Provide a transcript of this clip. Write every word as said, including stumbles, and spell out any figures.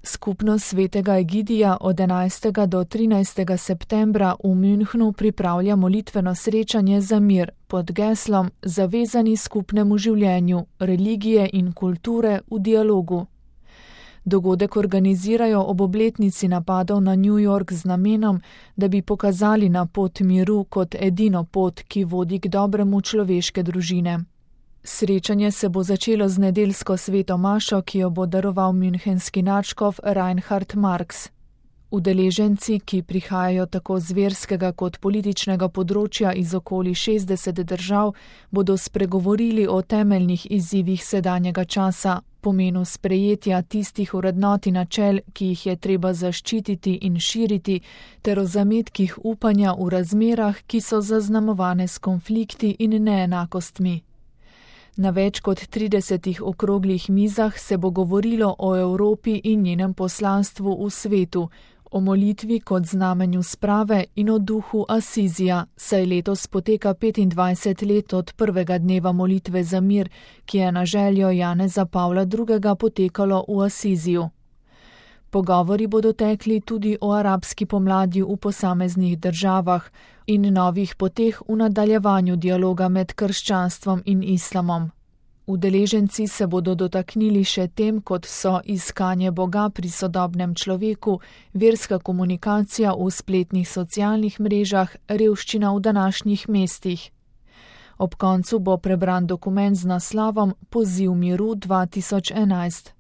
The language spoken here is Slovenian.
Skupnost svetega Egidija od enajstega do trinajstega septembra v Münchnu pripravlja molitveno srečanje za mir pod geslom Zavezani skupnemu življenju, religije in kulture v dialogu. Dogodek organizirajo ob obletnici napadov na New York z namenom, da bi pokazali na pot miru kot edino pot, ki vodi k dobremu človeške družine. Srečanje se bo začelo z nedeljsko sveto mašo, ki jo bo daroval münchenski nadškof Reinhard Marx. Udeleženci, ki prihajajo tako z verskega kot političnega področja iz okoli šestdeset držav, bodo spregovorili o temeljnih izzivih sedanjega časa, pomenu sprejetja tistih vrednot in načel, ki jih je treba zaščititi in širiti, ter o zametkih upanja v razmerah, ki so zaznamovane s konflikti in neenakostmi. Na več kot tridesetih okroglih mizah se bo govorilo o Evropi in njenem poslanstvu v svetu, o molitvi kot znamenju sprave in o duhu Asizija, saj letos poteka petindvajset let od prvega dneva molitve za mir, ki je na željo Janeza Pavla drugega potekalo v Asiziju. Pogovori bodo tekli tudi o arabski pomladi v posameznih državah in novih poteh v nadaljevanju dialoga med krščanstvom in islamom. Udeleženci se bodo dotaknili še tem, kot so iskanje Boga pri sodobnem človeku, verska komunikacija v spletnih socialnih mrežah, revščina v današnjih mestih. Ob koncu bo prebran dokument z naslovom Poziv miru dva tisoč enajst.